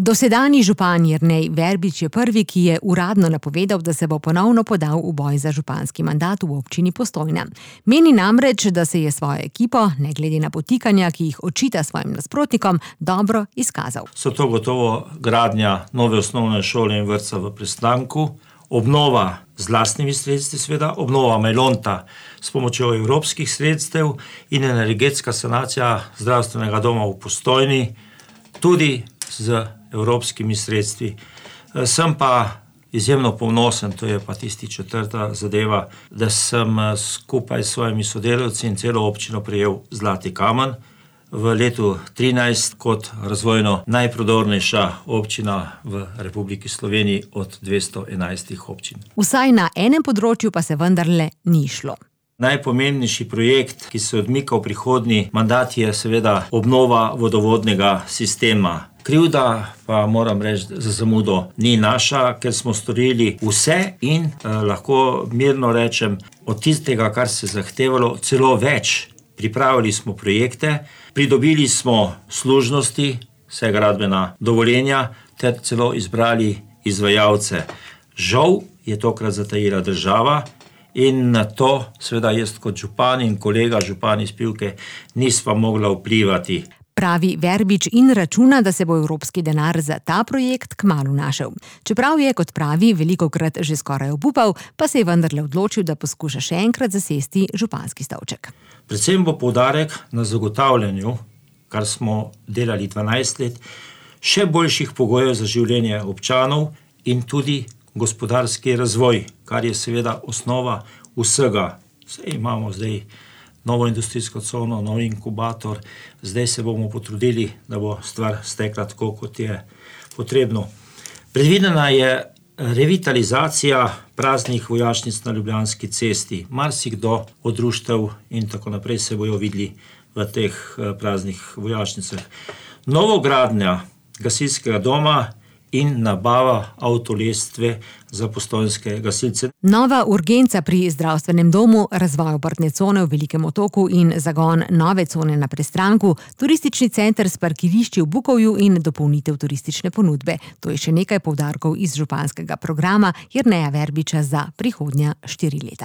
Dosedanji župan Jernej Verbič je prvi, ki je uradno napovedal, da se bo ponovno podal v boj za županski mandat v občini Postojna. Meni namreč, da se je svojo ekipo, ne glede na potikanja, ki jih očita svojim nasprotnikom, dobro izkazal. So to gotovo gradnja nove osnovne šole in vrtca v Prestanku, obnova z lastnimi sredstvi, seveda, obnova Melonta s pomočjo evropskih sredstev in energetska sanacija zdravstvenega doma v Postojni, tudi z evropskimi sredstvi. Sem pa izjemno ponosen, to je pa tisti četrta zadeva, da sem skupaj s svojimi sodelavci in celo občino prejel zlati kamen v letu 2013 kot razvojno najprodornejša občina v Republiki Sloveniji od 211 občin. Vsaj na enem področju pa se vendarle ni šlo. Najpomembnejši projekt, ki se odmika v prihodnji mandat, je seveda obnova vodovodnega sistema. Krivda pa moram reči, za zamudo ni naša, ker smo storili vse in lahko mirno rečem, od tistega, kar se zahtevalo, celo več. Pripravili smo projekte, pridobili smo služnosti, vse gradbena dovoljenja, ter celo izbrali izvajalce. Žal je tokrat zatajila država in na to seveda jaz kot župan in kolega župan iz Pivke nisva mogla vplivati. Pravi Verbič in računa, da se bo evropski denar za ta projekt kmalu našel. Čeprav je, kot pravi, velikokrat že skoraj obupal, pa se je vendarle odločil, da poskuša še enkrat zasesti županski stolček. Predvsem bo poudarek na zagotavljanju, kar smo delali 12 let, še boljših pogojev za življenje občanov in tudi gospodarski razvoj, kar je seveda osnova vsega. Saj imamo zdaj novo industrijsko cono, nov inkubator, zdaj se bomo potrudili, da bo stvar stekla tako, kot je potrebno. Predvidena je revitalizacija praznih vojašnic na Ljubljanski cesti. Marsikdo od društev in tako naprej se bojo videli v teh praznih vojašnicah. Novogradnja gasilskega doma in nabava avtolestve za postojnske gasilce. Nova urgenca pri zdravstvenem domu, razvoj obrtne cone v Velikem Otoku in zagon nove cone na Prestranku, turistični center s parkirišči v Bukovju in dopolnitev turistične ponudbe. To je še nekaj poudarkov iz županskega programa Jerneja Verbiča za prihodnja 4 leta.